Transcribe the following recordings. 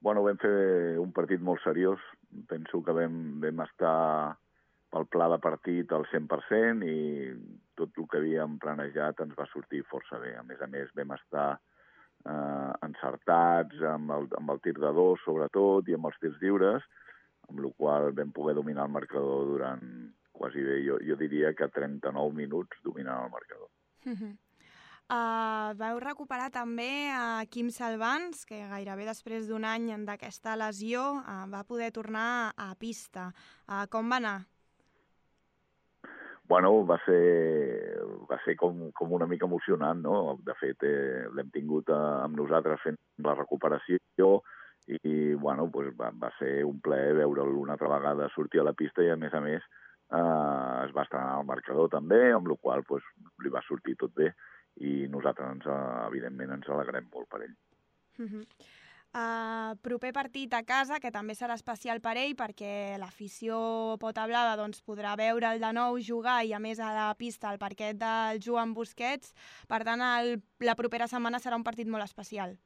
Bueno, vam fer un partit molt seriós. Penso que vam estar pel pla de partit al 100% i tot el que havíem planejat ens va sortir força bé. A més, vam estar encertats amb el tir de dos, sobretot, i amb els tirs lliures, amb la qual cosa vam poder dominar el marcador durant quasi bé, jo diria que 39 minuts dominant el marcador. Vau recuperar també a Quim Salvans, que gairebé després d'un any d'aquesta lesió va poder tornar a pista. Com va anar? Bueno, va ser com una mica emocionant, no? De fet, l'hem tingut amb nosaltres fent la recuperació i bueno, pues va ser un plaer veure'l una altra vegada sortir a la pista i, a més, es va estrenar al marcador també, amb la qual cosa pues, li va sortir tot bé i nosaltres, evidentment, ens alegrem molt per ell. Proper partit a casa, que també serà especial per ell perquè l'afició potablava podrà veure'l de nou jugar i a més a la pista al parquet del Joan Busquets. Per tant, la propera setmana serà un partit molt especial.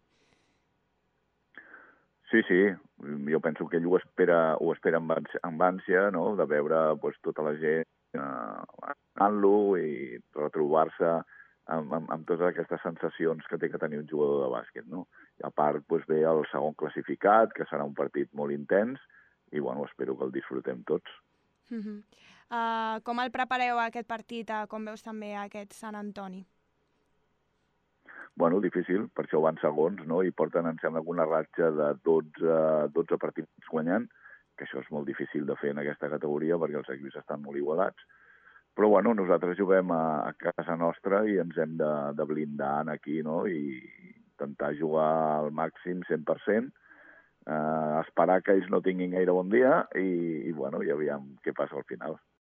Sí, jo penso que ell ho espera amb ànsia, no?, de veure pues, tota la gent anant-lo i retrobar-se amb totes aquestes sensacions que té que tenir un jugador de bàsquet, no? I a part, doncs, ve el segon classificat, que serà un partit molt intens, i bueno, espero que el disfrutem tots. Com el prepareu aquest partit? Com veus també aquest Sant Antoni? Bueno, difícil, per això van segons, no? I porten, em sembla, una ratxa de 12 partits guanyant, que això és molt difícil de fer en aquesta categoria perquè els equips estan molt igualats. Però bueno, nosaltres juguem a casa nostra i ens hem de blindar aquí, no? I intentar jugar al màxim 100%, esperar que ells no tinguin gaire bon dia i bueno, i aviam què passa al final.